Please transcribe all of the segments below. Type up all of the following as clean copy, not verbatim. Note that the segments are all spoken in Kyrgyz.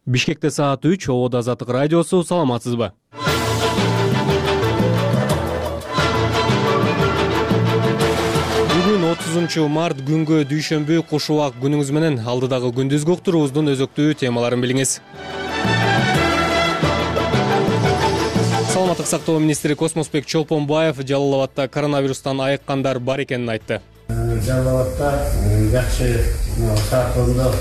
Бишкекте саат 3, Обод Азаттык радиосу, саламатсызбы? Бүгүн 30 март күнгө дүйшөмбү куш убак күнүңүз менен. Алдыдагы күндүзгү уктуруубуздун өзөктүү темаларын билиңиз. Саламаттык сактоо министри Космосбек Чолпонбаев Жалал Абадта коронавирустан айыккандар бар экенин айтты. Жалал Абадта жакшы сактоодо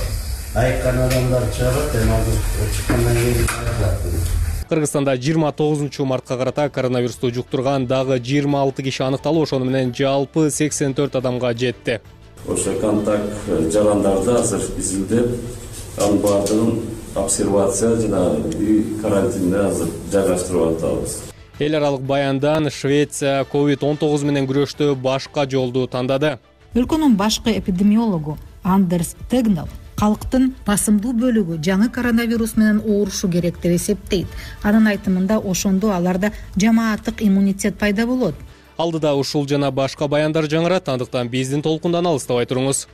айыккан адамдар чыгат, азыр чыккандан кийин айыклат. Кыргызстанда 29 мартка карата коронавирусту жуктурган дагы 26 киши аныкталып, ошону менен жалпы 84 адамга жетти. Ошо контакт жарандарды азыр изилдеп, анын баардыгын обсервация жана үй карантинде азыр жайгаштырып атабыз. Эл аралык баяндан Швеция COVID-19 менен күрөштө башка жолду тандады. Өлкөнүн башкы эпидемиологу Андерс Тегнал калктын басымдуу бөлүгү жаңы коронавирус менен оорушу керек деп эсептейт. Анын айтымында ошондо аларда жамааттык иммунитет пайда болот. Алдыда ушул жана башка баяндар жаңырат, андыктан биздин толкундан алыстабай туруңуз.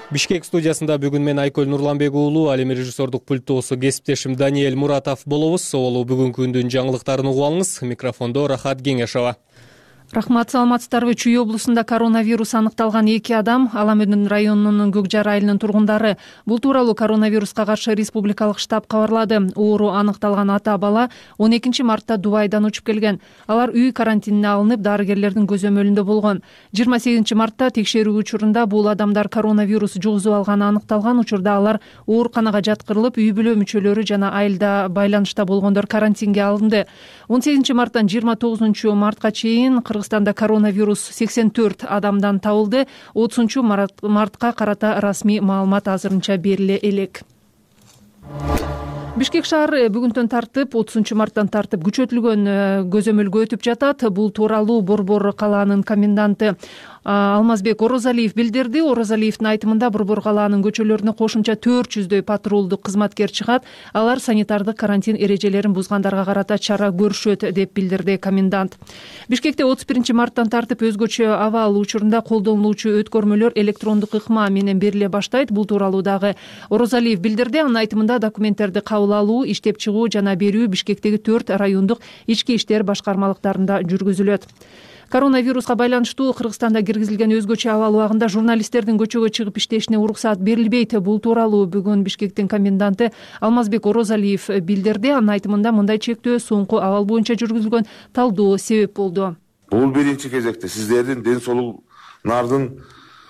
Бишкек студиясында бүгүн мен Айкөл Нурланбек уулу, ал эми режиссердук пульттоосу кесиптешим Даниэль Муратов болобуз. Соболу бүгүнкү күндүн жаңылыктарын угуп алыңыз. Микрофондо Рахат Кеңешова. Рахмат, саламатсыздарбы? Чүй облусунда коронавирус аныкталган 2 адам, Аламөдүн районунун Көкжар айылынын тургундары. Бул тууралуу коронавируска каршы республикалык штаб кабарлады. Оору аныкталган ата бала 12 мартта Дубайдан учуп келген. Алар үй карантинине алынып, дарыгерлердин көзөмөлүндө болгон. 28 мартта текшерүү учурунда бул адамдар коронавирус жугузуп алганы аныкталган. Учурда алар ооруканага жаткырылып, үй бүлө мүчөлөрү жана айылда байланышта болгондор карантинге алынды. 18 марттан 29 мартка чейин Кыргызстанда коронавирус 84 адамдан табылды. 30 мартка карата расмий маалымат азырынча бериле элек. Бишкек шаары бүгүнтөн тартып, 30 марттан тартып күчөтүлгөн көзөмөлгө өтүп жатат. Бул тууралуу Борбор калаанын коменданты Алмазбек Орозалиев билдирди. Орозалиевдин айтымында Борбор калаанын көчөлөрүнө кошумча 400дөй патрулдук кызматкер чыгат. Алар санитардык карантин эрежелерин бузгандарга карата чара көрүшөт деп билдирди комендант. Бишкекте 31 марттан тартып өзгөчө абал учурунда колдонулуучу өткөрмөлөр электрондук ыкма менен бериле баштайт. Бул тууралуу дагы Орозалиев билдирди. Анын айтымында документтерди кабыл алуу, иштеп чыгуу жана берүү Бишкектеги 4 райондук ички иштер башкармалыктарында жүргүзүлөт. Коронавируска байланыштуу Кыргызстанда киргизилген өзгөчө абал убагында журналисттердин көчөгө чыгып иштешине уруксаат берилбейт. Бул тууралуу бүгүн Бишкектин коменданты Алмазбек Орозалиев билдирди. Анын айтымында мындай чектөө соңку абал боюнча жүргүзүлгөн талдоо себеп болду. Бул биринчи кезекте сиздердин ден соолугуңардын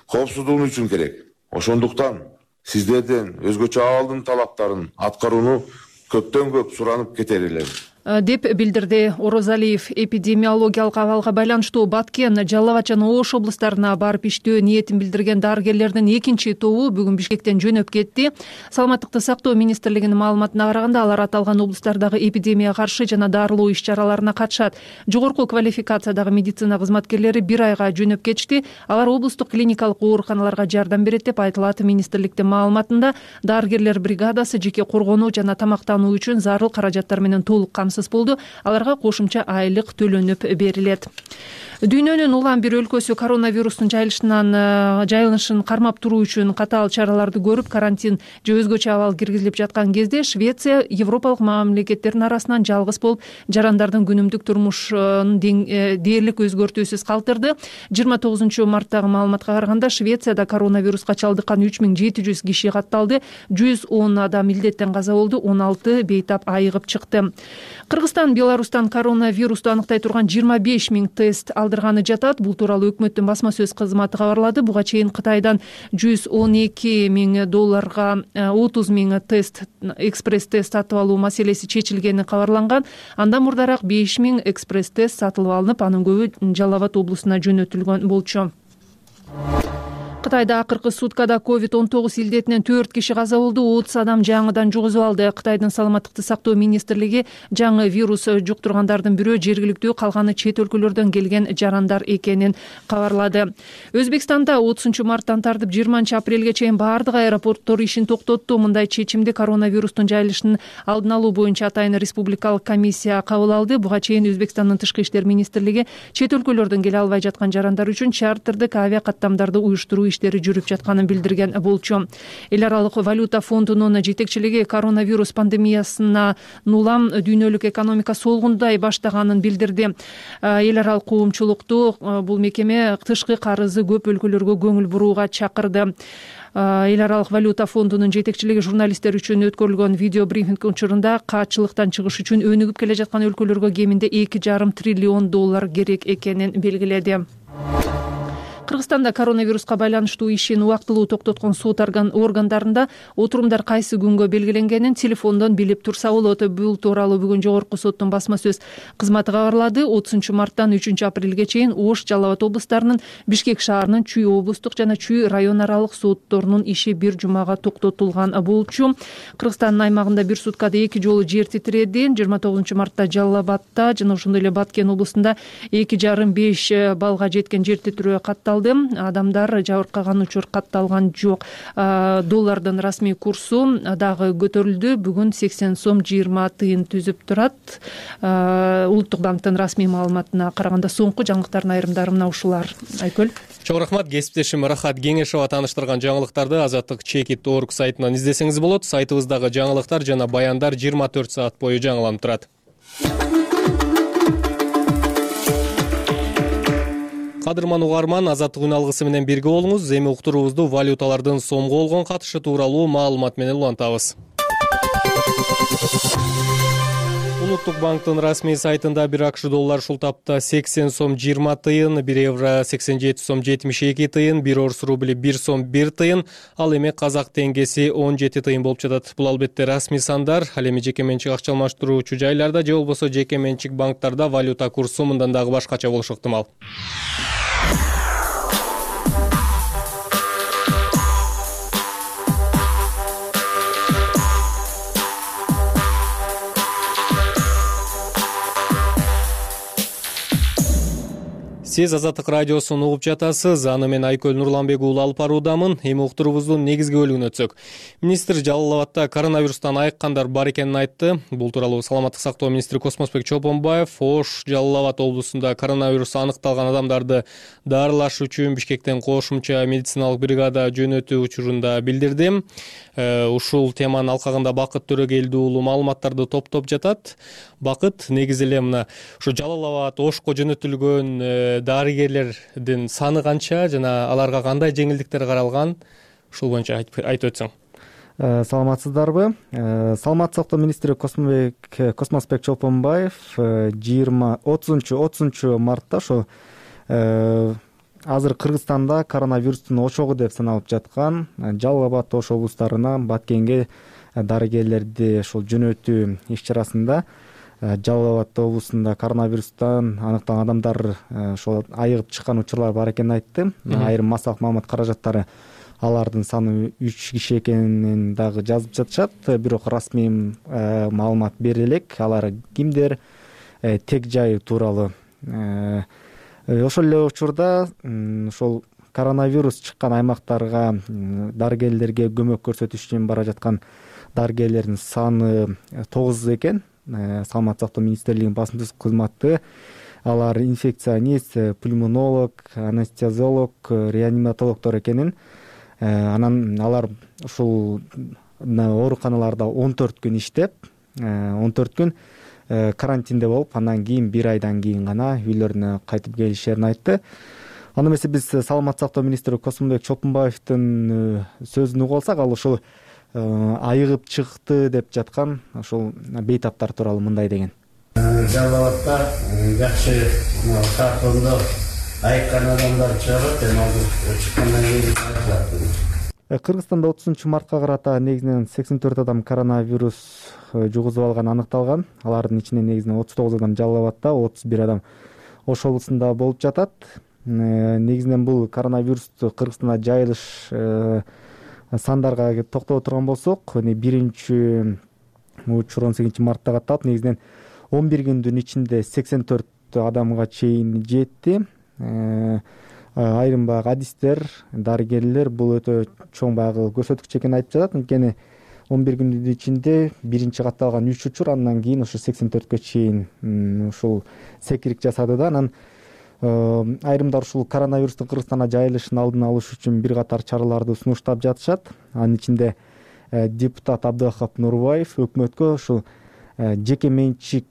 коопсуздугу үчүн керек. Ошондуктан сиздерден өзгөчө абалдын талаптарын аткарууну көптөн көп суранып кетер элем деп билдирди Орозалиев. Эпидемиологиялык абалга байланыштуу Баткен, Жалал Абад жана Ош облустарына барып иштөө ниетин билдирген дарыгерлердин экинчи тобу бүгүн Бишкектен жөнөп кетти. Саламаттыкты сактоо министрлигинин маалыматына караганда, алар аталган облустардагы эпидемияга каршы жана дарылоо иш-чараларына катышат. Жогорку квалификациядагы медицина кызматкерлери 1 айга жөнөп кетишти. Алар облустук клиникалык ооруканаларга жардам берет деп айтылат. Министрликтин маалыматында дарыгерлер бригадасы жеке коргонуу жана тамактануу үчүн зарыл каражаттар менен толук болду. Аларга кошумча айлык төлөнүп берилет. Дүйнөнүн улам бир өлкөсү коронавирустун жайылышын кармап туруу үчүн катаал чараларды көрүп, карантин же өзгөчө абал киргизилип жаткан кезде Швеция европалык мамлекеттердин арасынан жалгыз болуп жарандардын күнүмдүк турмушун дээрлик өзгөртүүсүз калтырды. 29 марттагы маалыматка караганда Швецияда коронавируска чалдыккан 3700 киши катталды. 110 адам илдеттен каза болду, 16 бейтап айыгып чыкты. Кыргызстан Беларустан коронавирусту аныктай турган 25 000 тест алдырганы жатат. Бул тууралуу өкмөттүн басма сөз кызматы кабарлады. Буга чейин Кытайдан $112 000 30 000 тест, экспресс-тест сатып алуу маселеси чечилгени кабарланган. Андан мурдараак 5 000 экспресс-тест сатылып алынып, анын көбү Жалал Абад облусуна жөнөтүлгөн болчу. Кытайда акыркы суткада COVID-19 илдетинен 4 киши каза болду, 30 адам жаңыдан жугузуп алды. Кытайдын саламаттыкты сактоо министрлиги жаңы вирус жуктургандардын бирөө жергиликтүү, калганы чет өлкөлөрдөн келген жарандар экенин кабарлады. Өзбекстанда 30 марттан тартып 20 апрелге чейин бардык аэропорттор ишин токтотту. Мындай чечимди коронавирустун жайылышын алдын алуу боюнча атайын республикалык комиссия кабыл алды. Буга чейин Өзбекстандын тышкы иштер министрлиги чет өлкөлөрдөн келе албай жаткан жарандар үчүн чартердик авиа каттамдарды уюштуруу иштери жүрүп жатканын билдирген болчу. Эл аралык валюта фондунун жетекчилиги коронавирус пандемиясына улам дүйнөлүк экономика солгундай баштаганын билдирди. Эл аралык коомчулукту бул мекеме тышкы карызы көп өлкөлөргө көңүл бурууга чакырды. Эл аралык валюта фондунун жетекчилиги журналисттер үчүн өткөрүлгөн видео брифинг учурунда каатчылыктан чыгыш үчүн өнүгүп келе жаткан өлкөлөргө кеминде $2,5 триллион керек экенин белгиледи. Кыргызстанда коронавируска байланыштуу ишин убактылуу токтоткон сот органдарында отурумдар кайсы күнгө белгиленгенин телефондон билип турса болот. Бул тууралуу бүгүн жогорку соттун басма сөз кызматы кабарлады. 30 марттан 3 апрелге чейин Ош, Жалал Абад облустарынын, Бишкек шаарынын Чүй облустук жана Чүй район аралык сотторунун иши бир жумага токтотулган болчу. Кыргызстандын аймагында бир суткада 2 жолу жер титиреди. 29 мартта Жалал Абадта жана ошондой эле Баткен облустунда 2,5 балга жеткен жер титирөө катталды. Адамдар жабыркаган учур катталган жок. Доллардын расмий курсу дагы көтөрүлдү. Бүгүн 80 сом 20 тыйын түзүп турат. Улуттук банктын расмий маалыматына караганда соңку жаңылыктардын айрымдары мына ушулар. Айкөл. Чоң рахмат. Кесиптешим Рахат Кеңешова тааныштырган жаңылыктарды azatlyk.org сайтынан издесеңиз болот. Сайтыбыздагы жаңылыктар жана баяндар 24 саат бою жаңыланып турат. Кадырман угарман, Азаттык үн алгысы менен бирге болуңуз. Эми уктуруубузду валюталардын сомго болгон катышы тууралуу маалымат менен улантабыз. Улуттук банктын расмий сайтында 1 акш доллар ушул тапта 80 сом 20 тыйын, 1 евро 87 сом 72 тыйын, 1 орус рубли 1 сом 1 тыйын, ал эми казак теңгеси 17 тыйын болуп жатат. Бул албетте расмий сандар. Ал эми жеке менчик акча алмаштыруучу жайларда же болбосо жеке менчик банктарда валюта курсу мындан дагы башкача болушу ыктымал. Сиз Азаттык радиосун угуп жатасыз. Аны мен Айкөл Нурланбек уулу алып баруудамын. Эми уктуруубуздун негизги бөлүгүнө өтсөк. Министр Жалал Абадта коронавирустан айыккандар бар экенин айтты. Бул тууралуу Саламаттык сактоо министри Космосбек Чолпонбаев Ош, Жалал Абад облусунда коронавирус аныкталган адамдарды даарылаш үчүн Бишкектен кошумча медициналык бригада жөнөтүү учурунда билдирди. Ушул теманын алкагында Бакыт Төрөгелди уулу маалыматтарды топтоп жатат. Бакыт, негизи эле мына ушу Жалал Абад, Ошко жөнөтүлгөн дарыгерлердин саны канча жана аларга кандай жеңилдиктер каралган? Ушул боюнча айтып өтсөң. Саламатсыздарбы? Саламаттык сактоо министри Космосбек Чолпонбаев 30 мартта ошо азыр Кыргызстанда коронавирустун ошогу деп саналып жаткан Жалал Абад, Ош облустарына Баткенге дарыгерлерди ошол жөнөтүү иш-чарасында Жалал Абад облусунда коронавирустан аныкталган адамдар ошол айыгып чыккан учурлар бар экенин айтты. Айрым массалык маалымат каражаттары алардын саны 3 киши экенин дагы жазып жатышат. Бирок расмий маалымат бере элек. Алар кимдер, тег жайы тууралуу. Ошол эле учурда ошол коронавирус чыккан аймактарга дарыгерлерге көмөк көрсөтүш үчүн бара жаткан дарыгерлердин саны 9 экен. Саламаттык сактоо министрлигинин басма сөз кызматы алар инфекционист, пульмонолог, анестезиолог, реаниматологдор экенин, анан алар ушул ооруканаларда 14 күн иштеп, 14 күн карантинде болуп, андан кийин 1 айдан кийин гана үйлөрүнө кайтып келишерин айтты. Аны эмесе биз Саламаттык сактоо министри Космосбек Чолпонбаевдин сөзүн угуп алсак, ал ушул айыгып чыкты деп жаткан ошол бейтаптар тууралуу мындай деген. Жалал Абадта жакшы сартондо айыккан адамдар чыгат, эми ал чыккандан кийин айтылат. Кыргызстанда 30 мартка карата негизинен 84 адам коронавирус жугузуп алган аныкталган. Алардын ичинен негизинен 39 адам Жалал Абадта, 31 адам Ош облусунда болуп жатат. Негизинен бул коронавирусту Кыргызстанда жайылыш сандарга токтоп турган болсок, биринчи учур 18 мартта катталып, негизинен 11 күндүн ичинде 84 адамга чейин жетти. Айрым баягы адистер, дарыгерлер бул өтө чоң баягы көрсөткүч экенин айтып жатат. Анткени 11 күндүн ичинде биринчи катталган 3 учур, андан кийин ошо 84кө чейин ушул секирик жасады да. Анан Айрымдар ушул коронавирустун Кыргызстанга жайылышын алдын алыш үчүн бир катар чараларды сунуштап жатышат. Анын ичинде депутат Абдыахап Нурбаев өкмөткө ушул жеке менчик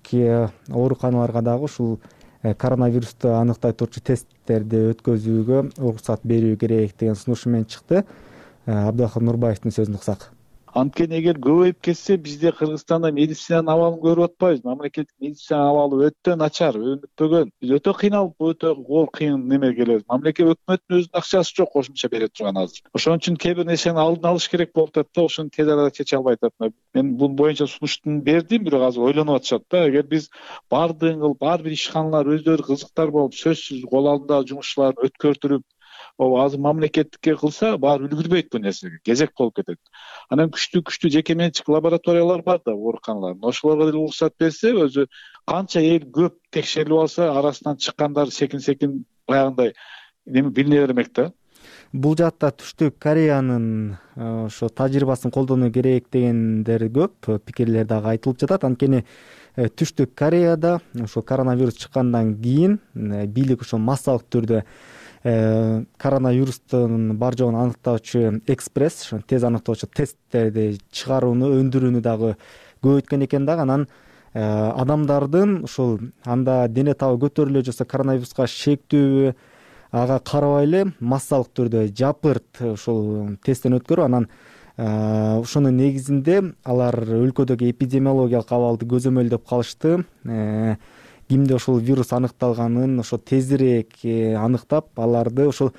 ооруканаларга дагы ушул коронавирусту аныктай турчу тесттерди өткөзүүгө уруксат берүү керек деген сунушу менен чыкты. Абдыахап Нурбаевдин сөзүн уксак. Анткени эгер көбөйүп кетсе бизде Кыргызстанда медицинанын абалын көрүп атпайбыз. Мамлекеттик медицинанын абалы өтө начар, өнүкпөгөн. Биз өтө кыйналып, өтө оор кыйын неме келебиз. Мамлекет өкмөттүн өзүнүн акчасы жок кошумча бере турган азыр. Ошон үчүн кээ бир нерсени алдын алыш керек болуп атат да, ошону тез арада чече албай атат. Мен бул боюнча сунуштун бердим, бирок азыр ойлонуп атышат да. Эгер биз ар бир ишканалар өздөрү кызыктар болуп, сөзсүз кол алдындагы жумушчуларын өткөртүрүп, азыр мамлекеттикке кылса, баары үлгүрбөйт бул нерсеге. Кезек болуп кетет. Анан күчтүү жеке менчик лабораториялар бар да, ооруканалар. Ошолорго деле уруксат берсе, өзү канча эл көп текшерилип алса, арасынан чыккандар секин баягындай билине бермек да. Бул жакта Түштүк Кореянын ошо тажрыйбасын колдонуу керек дегендер көп, пикирлер дагы айтылып жатат. Анткени Түштүк Кореяда ошо коронавирус чыккандан кийин бийлик ошо массалык түрдө коронавирустун бар жогун аныктоочу экспресс, тез аныктоочу тесттерди чыгарууну, өндүрүүнү дагы көбөйткөн экен дагы. Анан адамдардын ушул анда дене табы көтөрүлө же коронавируска шектүүбү ага карабай эле массалык түрдө жапырт ушул тесттен өткөрүп, анан ошонун негизинде алар өлкөдөгү эпидемиологиялык абалды көзөмөлдөп калышты. Кимде ошол вирус аныкталганын ошо тезирээк аныктап, аларды ошол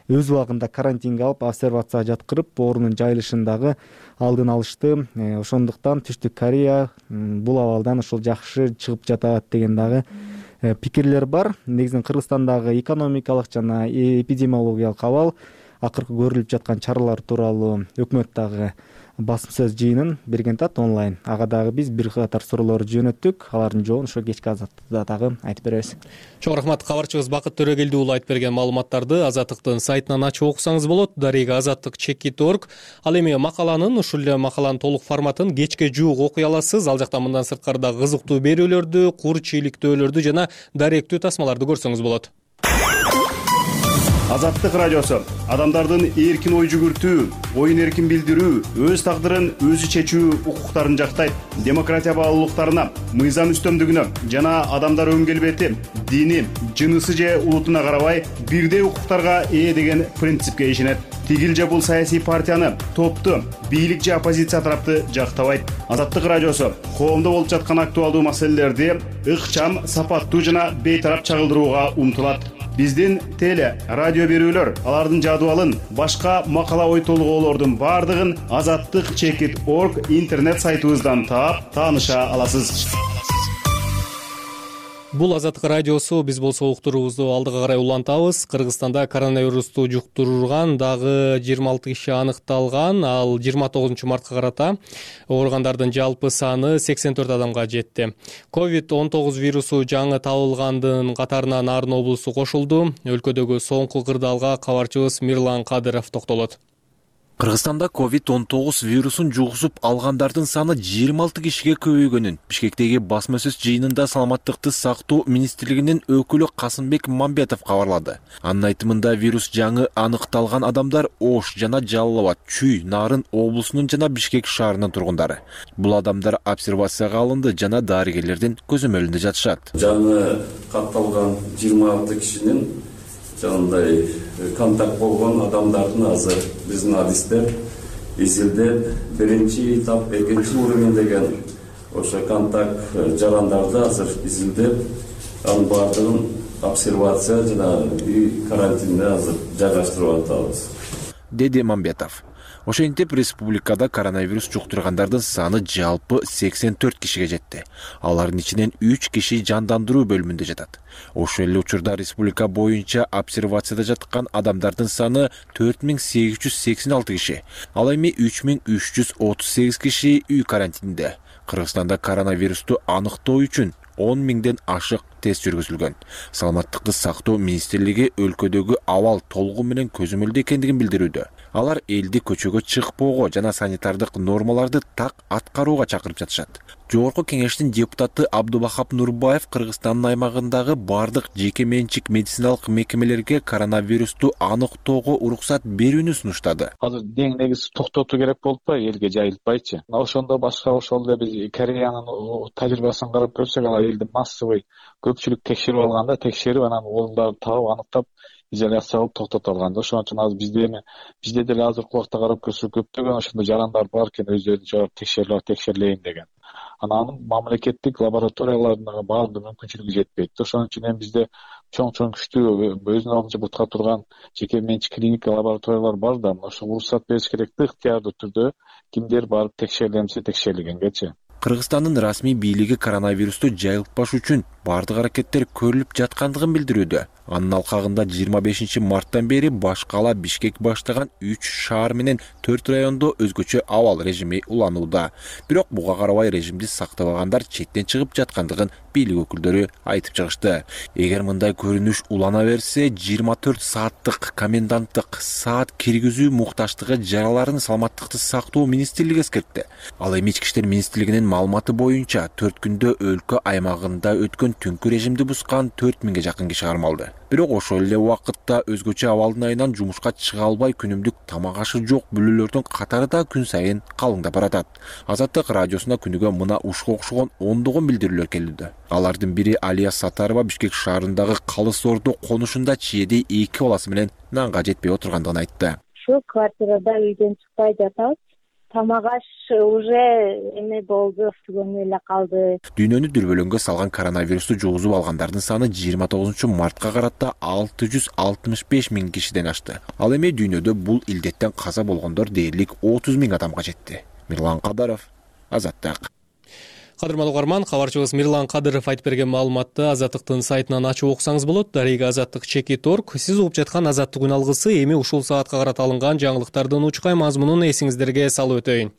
өз убагында карантинге алып, обсервацияга жаткырып, оорунун жайылышын дагы алдын алышты. Ошондуктан Түштүк Корея бул абалдан ошол жакшы чыгып жатат деген дагы пикирлер бар. Негизинен Кыргызстандагы экономикалык жана эпидемиологиялык абал, акыркы көрүлүп жаткан чаралар тууралуу өкмөт дагы басым сөз жыйынын берген тат онлайн. Ага дагы биз бир катар суроолорду жөнөттүк. Алардын жообун ошо кечки Азаттыкта дагы айтып беребиз. Чоң рахмат, кабарчыбыз Бакыт Төрөгелди уулу айтып берген маалыматтарды Азаттыктын сайтынан ачып окусаңыз болот. Дарега azattik.org. Ал эми макаланын, ушул эле макаланын толук форматын кечке жуук окуй аласыз. Ал жакта мындан сырткары да кызыктуу берүүлөрдү, кур чийликтөөлөрдү жана даректүү тасмаларды көрсөңүз болот. Азаттык радиосу адамдардын эркин ой жүгүртүү, оюн эркин билдирүү, өз тагдырын өзү чечүү укуктарын жактайт. Демократия баалуулуктарына, мыйзам үстөмдүгүнө жана адамдар өн келбети, дини, жынысы же улутуна карабай бирдей укуктарга ээ деген принципке ишенет. Тигил же бул саясий партияны, топту, бийлик же оппозиция тарапты жактабайт. Азаттык радиосу коомдо болуп жаткан актуалдуу маселелерди ыкчам, сапаттуу жана бейтарап чагылдырууга умтулат. Биздин теле, радио берүүлөр, алардын жадыбалын, башка макала ой толгоолордун бардыгын azattik.org интернет сайтыбыздан таап, тааныша аласыз. Бул Азаттык радиосу, биз болсо уктуруубузду алдыга карай улантабыз. Кыргызстанда коронавирусту жуктурган дагы 26 киши аныкталган. Ал 29 мартка карата ооругандардын жалпы саны 84 адамга жетти. COVID-19 вирусу жаңы табылгандын катарына Нарын облусу кошулду. Өлкөдөгү соңку кырдаалга кабарчыбыз Мирлан Кадыров токтолот. Кыргызстанда COVID-19 вирусун жугузуп алгандардын саны 26 кишиге көбөйгөнүн Бишкектеги басма сөз жыйынында Саламаттыкты сактоо министрлигинин өкүлү Касымбек Мамбетов кабарлады. Анын айтымында вирус жаңы аныкталган адамдар Ош жана Жалал Абад, Чүй, Нарын облусунун жана Бишкек шаарынын тургундары. Бул адамдар обсервацияга алынды жана дарыгерлердин көзөмөлүндө жатышат. Жаңы катталган 26 кишинин жаңындай контакт болгон адамдардын азыр биздин адистер изилдеп, биринчи этап, экинчи уровень деген ошо контакт жарандарды азыр изилдеп, анын бардыгын обсервация жана карантинде азыр жайгаштырып атабыз, деди Мамбетов. Ошентип республикада коронавирус жуктургандардын саны жалпы 84 кишиге жетти. Алардын ичинен 3 киши жандандыруу бөлүмүндө жатат. Ошол эле учурда республика боюнча обсервацияда жаткан адамдардын саны 4886 киши. Ал эми 3338 киши үй карантининде. Кыргызстанда коронавирусту аныктоо үчүн 10 миңден ашык тест жүргүзүлгөн. Саламаттыкты сактоо министрлиги өлкөдөгү абал толугу менен көзөмөлдө экендигин билдирүүдө. Алар элди көчөгө чыкпоого жана санитардык нормаларды так аткарууга чакырып жатышат. Жогорку кеңештин депутаты Абдубахап Нурбаев Кыргызстандын аймагындагы бардык жеке менчик медициналык мекемелерге коронавирусту аныктоого уруксат берүүнү сунуштады. Азыр эң негизи токтотуу керек болуп атпайбы, элге жайылтпайчы. Ошондо башка ошол эле биз Кореянын тажрыйбасын карап көрсөк, ал элди массовый көпчүлүк текшерип алганда, текшерип анан ооруларды таап аныктап изоляция кылып токтото алган. Ошон үчүн азыр бизде деле азыркы убакта карап көрсөк көптөгөн ошондой жарандар бар экен, өздөрүн чыгарып текшерилейин деген. Анан мамлекеттик лабораториялардын баардыгы мүмкүнчүлүгү жетпейт. Ошон үчүн эми бизде чоң күчтүү өзүнүн алдынча бутка турган жеке менчик клиника лабораториялар бар да, ошо уруксат бериш керек да, ыктыярдуу түрдө кимдер барып текшерилсе текшерилгенгечи. Кыргызстандын расмий бийлиги коронавирусту жайылтпаш үчүн бардык аракеттер көрүлүп жаткандыгын билдирүүдө. Анын алкагында 25 марттан бери баш кала Бишкек баштаган 3 шаар менен 4 райондо өзгөчө абал режими уланууда. Бирок буга карабай режимди сактабагандар четтен чыгып жаткандыгын бийлик өкүлдөрү айтып чыгышты. Эгер мындай көрүнүш улана берсе, 24 сааттык коменданттык саат киргизүү мукташтыгы жараларын саламаттыкты сактоо министрлиги эскертти. Ал эми ички иштер министрлигинин маалыматы боюнча 4 күндө өлкө аймагында өткөн түнкү режимди бускан 4000ге жакын киши кармалды. Бирок ошол эле убакытта өзгөчө абалдын айынан жумушка чыга албай күнүмдүк тамак ашы жок бүлөлөрдүн катары да күн сайын калыңдап баратат. Азаттык радиосуна күнүгө мына ушуга окшогон ондогон билдирүүлөр келүүдө. Алардын бири Алия Сатарова Бишкек шаарындагы Калыс Ордо конушунда чиеди 2 баласы менен нанга жетпей отургандыгын айтты. Шу квартирада үйдөн чыкпай жатабыз. Тамак аш уже эме болду, түгөнү эле калды. Дүйнөнү дүрбөлөңгө салган коронавирусту жугузуп алгандардын саны 29 мартка карата 665 000 кишиден ашты. Ал эми дүйнөдө бул илдеттен каза болгондор дээрлик 30 000 адамга жетти. Мирлан Кадаров, Азаттык. Кадырман угарман, кабарчыбыз Мирлан Кадыров айтып берген маалыматты Азаттыктын сайтынан ачып окусаңыз болот. Дарыга Азаттык /org. Сиз угуп жаткан Азаттык үн алгысы эми ушул саатка карата алынган жаңылыктардын учкай мазмунун эсиңиздерге салып өтөйүн.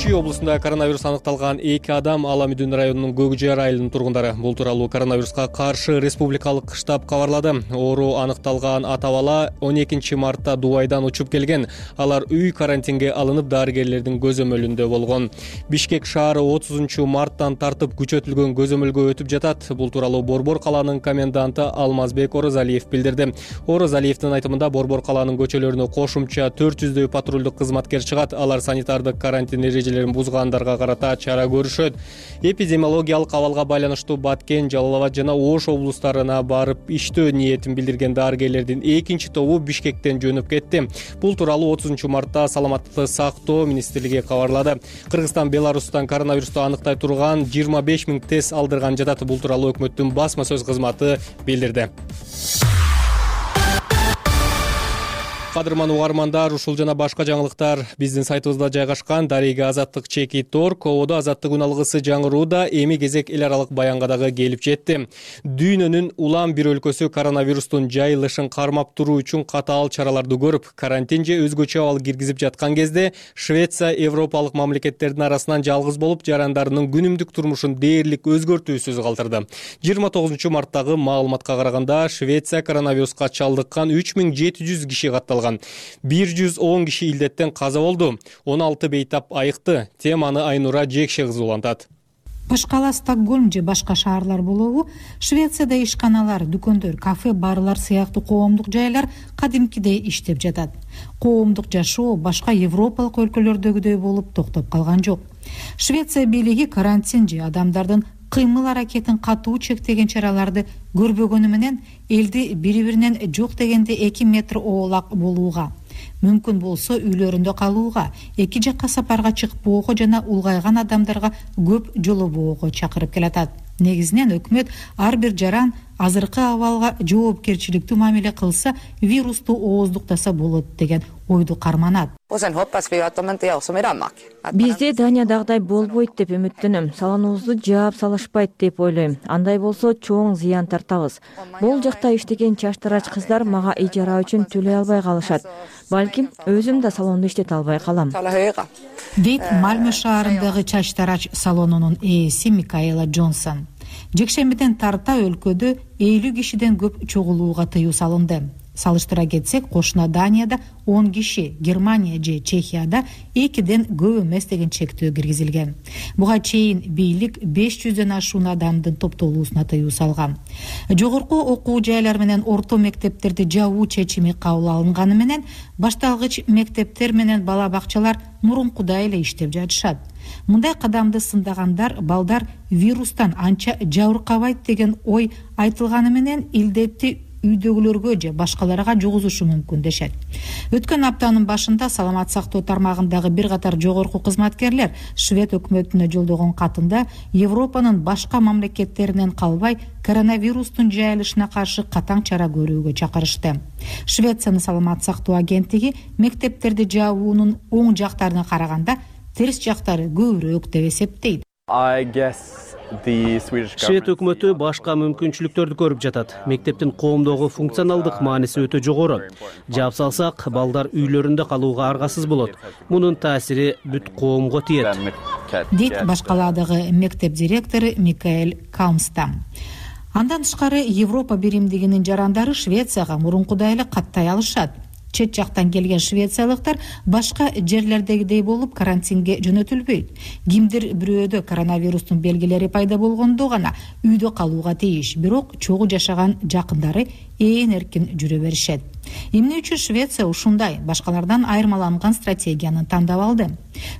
Чүй облусунда коронавирус аныкталган 2 адам Ала Мүдүн районунун Көкжар айылынын тургундары. Бул тууралуу коронавируска каршы республикалык штаб кабарлады. Оору аныкталган ата бала 12 мартта Дубайдан учуп келген. Алар үй карантинге алынып, дарыгерлердин көзөмөлүндө болгон. Бишкек шаары 30 марттан тартып күчөтүлгөн көзөмөлгө өтүп жатат. Бул тууралуу Борбор калаанын коменданты Алмазбек Орозалиев билдирди. Орозалиевдин айтымында Борбор калаанын көчөлөрүнө кошумча 400дөй патрулдук кызматкер чыгат. Алар санитардык карантин бузгандарга карата чара көрүшөт. Эпидемиологиялык абалга байланыштуу Баткен, Жалал Абад жана Ош облустарына барып иштөө ниетин билдирген дарыгерлердин экинчи тобу Бишкектен жөнөп кетти. Бул тууралуу 30 мартта Саламаттыкты сактоо министрлиги кабарлады. Кыргызстан Беларустан коронавирусту аныктай турган 25 000 тест алдырган жатат. Бул тууралуу өкмөттүн басма сөз кызматы билдирди. Кадырман угармандар, ушул жана башка жаңылыктар биздин сайтыбызда жайгашкан. Дарыга Азаттык /org. Кободо Азаттык үн алгысы жаңырууда эми кезек эл аралык баянга дагы келип жетти. Дүйнөнүн улам бир өлкөсү коронавирустун жайылышын кармап туруу үчүн катаал чараларды көрүп, карантин же өзгөчө абал киргизип жаткан кезде Швеция европалык мамлекеттердин арасынан жалгыз болуп, жарандарынын күнүмдүк турмушун дээрлик өзгөртүүсүз калтырды. 29 марттагы маалыматка караганда Швеция коронавируска чалдыккан 3700 киши катталган. 110 киши илдеттен каза болду. 16 бейтап айыкты. Теманы Айнура Жекше кызы улантат. Башка ала Стокгольм же башка шаарлар болобу, Швецияда ишканалар, дүкөндөр, кафе, барлар сыяктуу коомдук жайлар кадимкидей иштеп жатат. Коомдук жашоо башка европалык өлкөлөрдөгүдөй болуп токтоп калган жок. Швеция бийлиги карантин же адамдардын кыймыл аракетин катуу чектеген чараларды көрбөгөнү менен элди бири-биринен жок дегенде 2 метр оолак болууга, мүмкүн болсо үйлөрүндө калууга, эки жакка сапарга чыкпоого жана улгайган адамдарга көп жолобоого чакырып келатат. Негизинен өкмөт ар бир жаран азыркы абалга жоопкерчиликтүү мамиле кылса, вирусту ооздуктаса болот деген ойду карманат. Бизде Даниядагыдай болбойт деп үмүттөнөм. Салонубузду жаап салышпайт деп ойлойм. Андай болсо чоң зыян тартабыз. Бул жакта иштеген чачтарач кыздар мага ижара үчүн төлөй албай калышат. Балким өзүм да салонду иштете албай калам. Дейт Мальмö шаарындагы чачтарач салонунун ээси Микаэла Джонсон. Жекшембиден тарта өлкөдө 50 кишиден көп чогулууга тыюу салынды. Салыштыра кетсек, кошуна Данияда 10 киши, Германия же Чехияда 2ден көп эмес деген чектөө киргизилген. Буга чейин бийлик 500дөн ашуун адамдын топтолуусуна тыюу салган. Жогорку окуу жайлар менен орто мектептерди жабуу чечими кабыл алынганы менен башталгыч мектептер менен бала бакчалар мурункудай эле иштеп жатышат. Мындай кадамды сындагандар балдар вирустан анча жабыркабайт деген ой айтылганы менен илдетти үйдөгүлөргө же башкаларга жугузушу мүмкүн дешет. Өткөн аптанын башында саламат сактоо тармагындагы бир катар жогорку кызматкерлер Швед өкмөтүнө жолдогон катында Европанын башка мамлекеттеринен калбай коронавирустун жайылышына каршы катаң чара көрүүгө чакырышты. Швециянын саламат сактоо агенттиги мектептерди жабуунун оң жактарына караганда терс жактары көбүрөөк деп эсептейт. Швед өкмөтү башка мүмкүнчүлүктөрдү көрүп жатат. Мектептин коомдогу функционалдык мааниси өтө жогору. Жаап салсак, балдар үйлөрүндө калууга аргасыз болот. Мунун таасири бүт коомго тиет. Дейт башкаладагы мектеп директору Микаэль Каумстам. Андан тышкары Европа биримдигинин жарандары Швецияга мурункудай эле каттай алышат. Чет жактан келген швециялыктар башка жерлердегидей болуп карантинге жөнөтүлбөйт. Кимдир бирөөдө коронавирустун белгилери пайда болгондо гана үйдө калууга тийиш, бирок чогуу жашаган жакындары ээн эркин жүрө беришет. Эмне үчүн Швеция ушундай башкалардан айырмаланган стратегияны тандап алды?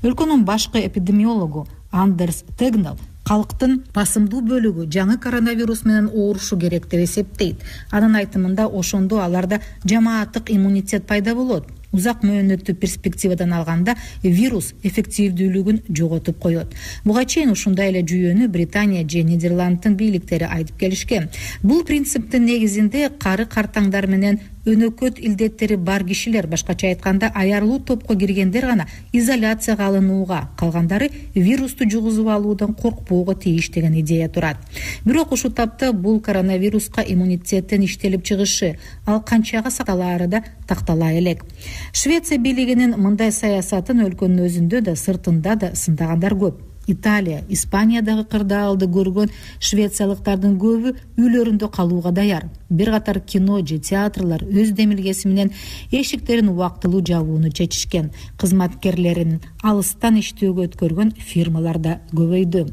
Өлкөнүн башкы эпидемиологу Андерс Тегнал калктын басымдуу бөлүгү жаңы коронавирус менен оорушу керек деп эсептейт. Анын айтымында ошондо аларда жамааттык иммунитет пайда болот. Узак мөөнөттүү перспективадан алганда вирус эффективдүүлүгүн жоготуп коет. Буга чейин ушундай эле жүйөнү Британия же Нидерланддын бийликтери айтып келишкен. Бул принциптин негизинде кары картаңдар менен өнөкөт илдеттери бар кишилер, башкача айтканда аярлуу топко киргендер гана изоляцияга алынууга, калгандары вирусту жугузуп алуудан коркпоого тийиш деген идея турат. Бирок ушул тапта бул коронавируска иммунитеттин иштелип чыгышы, ал канчага сакталаары да тактала элек. Швеция бийлигинин мындай саясатын өлкөнүн өзүндө да сыртында да сындагандар көп. Италия, Испаниядагы кырдаалды көргөн швециялыктардын көбү үйлөрүндө калууга даяр. Бир катар кино же театрлар өз демилгеси менен эшиктерин убактылуу жабууну чечишкен. Кызматкерлерин алыстан иштөөгө өткөргөн фирмалар да көбөйдү.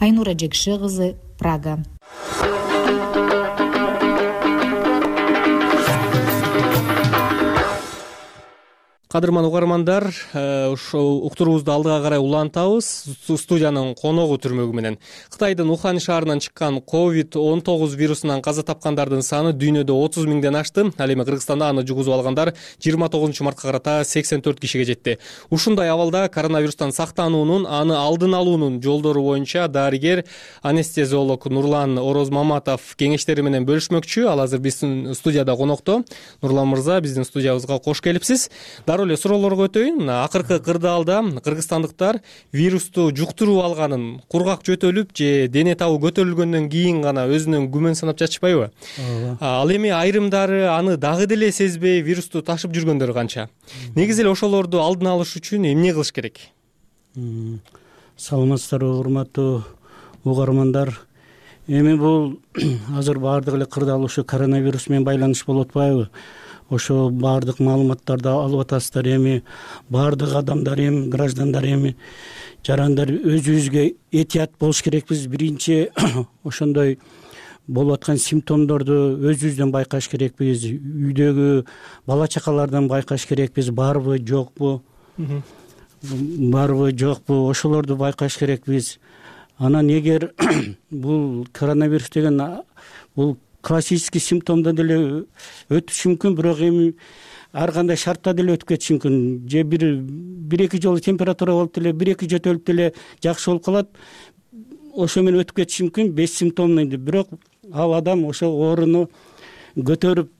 Айнура Жекше кызы, Прага. Кадырман угармандар, ошол уктуруубузду алдыга карай улантабыз. Студиянын коногу түрмөгү менен Кытайдын Ухань шаарынан чыккан COVID-19 вирусунан каза тапкандардын саны дүйнөдө 30 миңден ашты. Ал эми Кыргызстанда аны жугузуп алгандар 29 мартка карата 84 кишиге жетти. Ушундай абалда коронавирустан сактануунун, аны алдын алуунун жолдору боюнча дарыгер анестезиолог Нурлан Орозмаматов кеңештери менен бөлүшмөкчү. Ал азыр биздин студияда конокто. Нурлан мырза, биздин студиябызга кош келипсиз. Дароо эле суроолорго өтөйүн. Акыркы кырдаалда кыргызстандыктар вирусту жуктуруп алганын кургак жөтөлүп же дене табы көтөрүлгөндөн кийин гана өзүнөн күмөн санап жатышпайбы? Ал эми айрымдары аны дагы деле сезбей вирусту ташып жүргөндөр канча? Негизи эле ошолорду алдын алыш үчүн эмне кылыш керек? Саламатсыздарбы, урматтуу угармандар. Эми бул азыр баардык эле кырдаал ушу коронавирус менен байланыш болуп атпайбы? Ошо баардык маалыматтарды алып атасыздар. Эми баардык адамдар, эми граждандар, эми жарандар өзүбүзгө этият болуш керекпиз. Биринчи ошондой болуп аткан симптомдорду өзүбүздөн байкаш керекпиз. Үйдөгү бала чакалардан байкаш керекпиз. Барбы, жокпу? Барбы, жокпу? Ошолорду байкаш керекпиз. Анан эгер бул коронавирус деген бул классический симптомдо деле өтүшү мүмкүн, бирок эми ар кандай шартта деле өтүп кетиши мүмкүн. Же бир-эки жолу температура болуп деле, бир-эки жөтөлүп деле жакшы болуп калат. Ошо менен өтүп кетиши мүмкүн, бессимптомный. Бирок ал адам ошо ооруну көтөрүп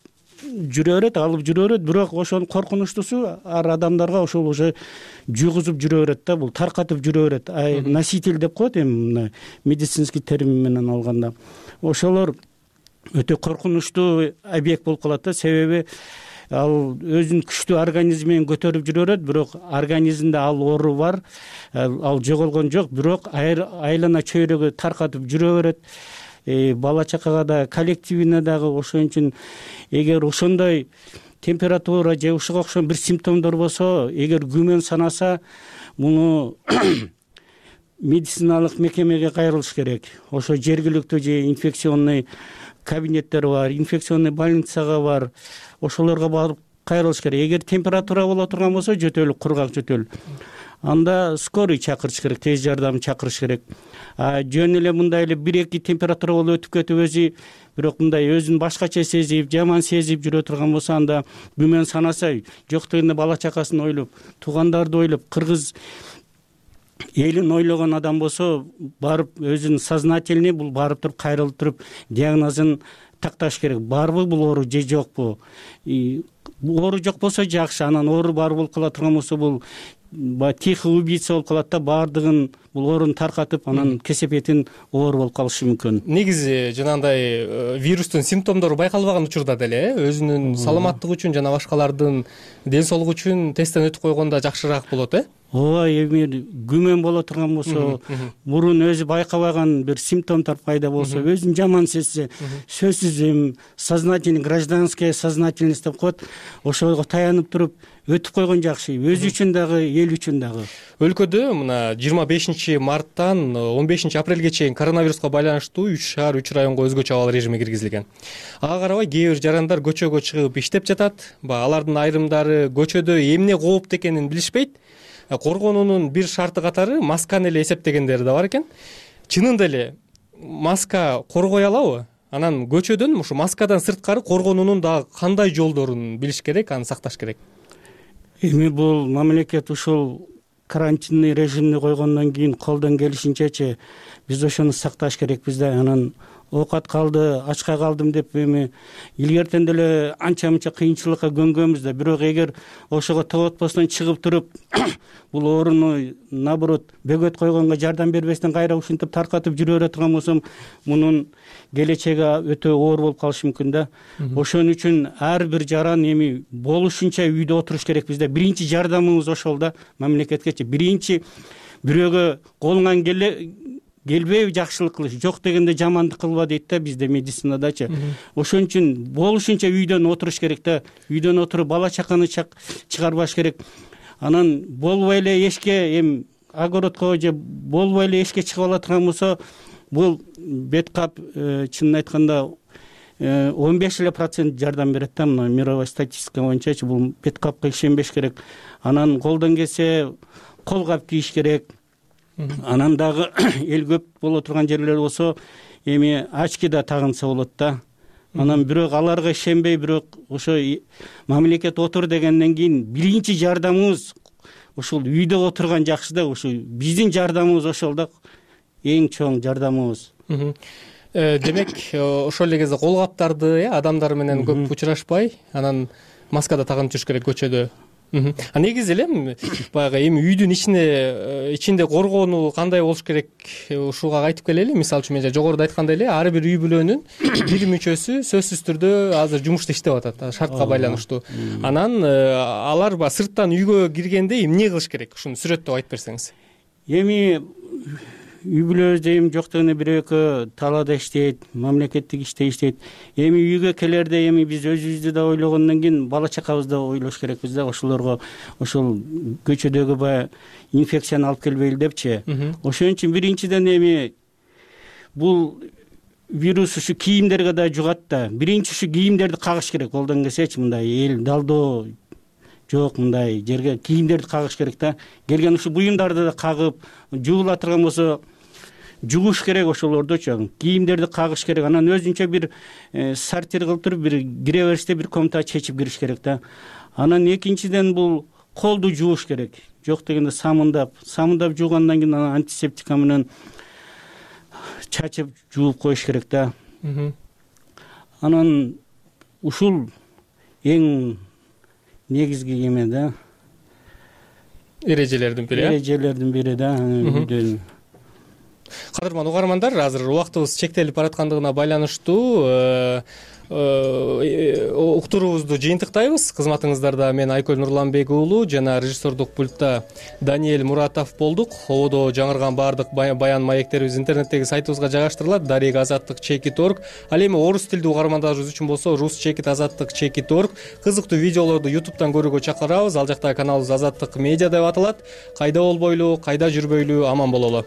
жүрө берет, алып жүрө берет. Бирок ошонун коркунучтуусу ар адамдарга ошол уже жугузуп жүрө берет да, бул таркатып жүрө берет. Носитель деп коет эми мына медицинский термин менен алганда. Ошолор өтө коркунучтуу объект болуп калат да, себеби ал өзүнүн күчтүү организми менен көтөрүп жүрө берет, бирок организмде ал оору бар, ал жоголгон жок, бирок айлана чөйрөгө таркатып жүрө берет. бала чакага да, коллективине дагы. Ошон үчүн эгер ошондой температура же ушуга окшогон бир симптомдор болсо, эгер күмөн санаса, муну медициналык мекемеге кайрылыш керек. Ошо жергиликтүү же инфекционный кабинеттер бар, инфекционный больницага бар, ошолорго барып кайрылыш керек. Эгер температура боло турган болсо, жөтөл, кургак жөтөл, анда скорый чакырыш керек, тез жардам чакырыш керек. Жөн эле мындай эле 1-2 температура болуп өтүп кетип өзү, бирок мындай өзүн башкача сезип, жаман сезип жүрө турган болсо, анда күмөн санаса, жок дегенде бала чакасын ойлоп, туугандарды ойлоп, кыргыз элин ойлогон адам болсо, барып өзүнүн сознательный бул барып туруп, кайрылып туруп диагнозун такташ керек. Барбы бул оору же жокпу? Оору жок болсо жакшы, анан оору бар болуп кала турган болсо, бул тихий убийца болуп калат да, баардыгын бул ооруну таркатып, анан кесепетин оору болуп калышы мүмкүн. Негизи жанагындай вирустун симптомдору байкалбаган учурда деле өзүнүн саламаттыгы үчүн жана башкалардын ден соолугу үчүн тесттен өтүп койгондо жакшыраак болот, ооба, эми күмөн боло турган болсо, мурун өзү байкабаган бир симптомдор пайда болсо, өзүн жаман сезсе, сөзсүз эми сознательный, гражданская сознательность деп коет, ошого таянып туруп өтүп койгон жакшы, өзү үчүн дагы, эл үчүн дагы. Өлкөдө мына 25 марттан 15 апрелге чейин коронавируска байланыштуу 3 шаар, 3 районго өзгөчө абал режими киргизилген. Ага карабай кээ бир жарандар көчөгө чыгып иштеп жатат. Алардын айрымдары көчөдө эмне кооптуу экенин билишпейт. Коргонуунун бир шарты катары масканы эле эсептегендери да бар экен. Чынында эле маска коргой алабы? Анан көчөдөн ушу маскадан сырткары коргонуунун дагы кандай жолдорун билиш керек, аны сакташ керек? Эми бул мамлекет ушул карантинный режимди койгондон кийин колдон келишинчечи биз ошону сакташ керекпиз да. Анан оокат калды, ачка калдым деп эми илгертен деле анча мынча кыйынчылыкка көнгөнбүз да. Бирок эгер ошого тоготпостон чыгып туруп, бул ооруну наоборот бөгөт койгонго жардам бербестен кайра ушинтип таркатып жүрө бере турган болсом, мунун келечеги өтө оор болуп калышы мүмкүн да. Ошон үчүн ар бир жаран эми болушунча үйдө отуруш керекпиз да. Биринчи жардамыбыз ошол да, мамлекеткечи. Биринчи бирөөгө колуңан келбейби жакшылык кылыш, жок дегенде жамандык кылба дейт да бизде медицинадачы. Ошон үчүн болушунча үйдөн отуруш керек да. Үйдөн отуруп бала чаканы чыгарбаш керек. Анан болбой эле эшикке, эми огородко же болбой эле эшикке чыгып ала турган болсо, бул бет кап чынын айтканда 15% жардам берет да. Мына мировой статистика боюнчачы бул бет капка ишенбеш керек. Анан колдон келсе кол кап кийиш керек. Анан дагы эл көп боло турган жерлер болсо, эми очки да тагынса болот да. Анан бирок аларга ишенбей, бирок ошо мамлекет отур дегенден кийин биринчи жардамыбыз ушул үйдө отурган жакшы да. Ушу биздин жардамыбыз ошол да, эң чоң жардамыбыз. Демек, ошол эле кезде кол каптарды адамдар менен көп учурашпай, анан маска да тагынып жүрүш керек көчөдө. Негизи эле баягы эми үйдүн ичинде коргонуу кандай болуш керек, ушуга кайтып келели. Мисалы үчүн мен жогоруда айткандай эле ар бир үй бүлөнүн бир мүчөсү сөзсүз түрдө азыр жумушта иштеп атат, шартка байланыштуу. Анан алар сырттан үйгө киргенде эмне кылыш керек? Ушуну сүрөттөп айтып берсеңиз. Эми үй бүлөбүздө эми жок дегенде бир экөө талаада иштейт, мамлекеттик иште иштейт. Эми үйгө келерде эми биз өзүбүздү да ойлогондон кийин бала чакабызды да ойлош керекпиз да. Ошолорго ошол көчөдөгү баягы инфекцияны алып келбейли депчи. Ошон үчүн биринчиден эми бул вирус ушу кийимдерге да жугат да. Биринчи ушу кийимдерди кагыш керек. Колдон келсечи мындай эл далдоо жок, мындай жерге кийимдерди кагыш керек да. Келген ушу буюмдарды да кагып, жуула турган болсо жугуш керек ошолордучу. Кийимдерди кагыш керек. Анан өзүнчө бир сортир кылып туруп, бир кире бериште бир комната чечип кириш керек да. Анан экинчиден бул колду жууш керек. Жок дегенде самындап жуугандан кийин анан антисептика менен чачып жууп коюш керек да. Анан ушул эң негизги эме да. Эрежелердин бири да. Кадырман угармандар, азыр убактыбыз чектелип бараткандыгына байланыштуу уктуруубузду жыйынтыктайбыз. Кызматыңыздарда мен Айкөл Нурланбек уулу жана режиссердук пультта Даниэль Муратов болдук. Ободо жаңырган баардык баян маектерибиз интернеттеги сайтыбызга жайгаштырылат. Дарек азаттык чекит.org. Ал эми орус тилдүү угармандарыбыз үчүн болсо рус чекит азаттык чекит.org. Кызыктуу видеолорду YouTube'дан көрүүгө чакырабыз. Ал жакта каналыбыз Азаттык медиа деп аталат. Кайда болбойлу, кайда жүрбөйлү аман бололу.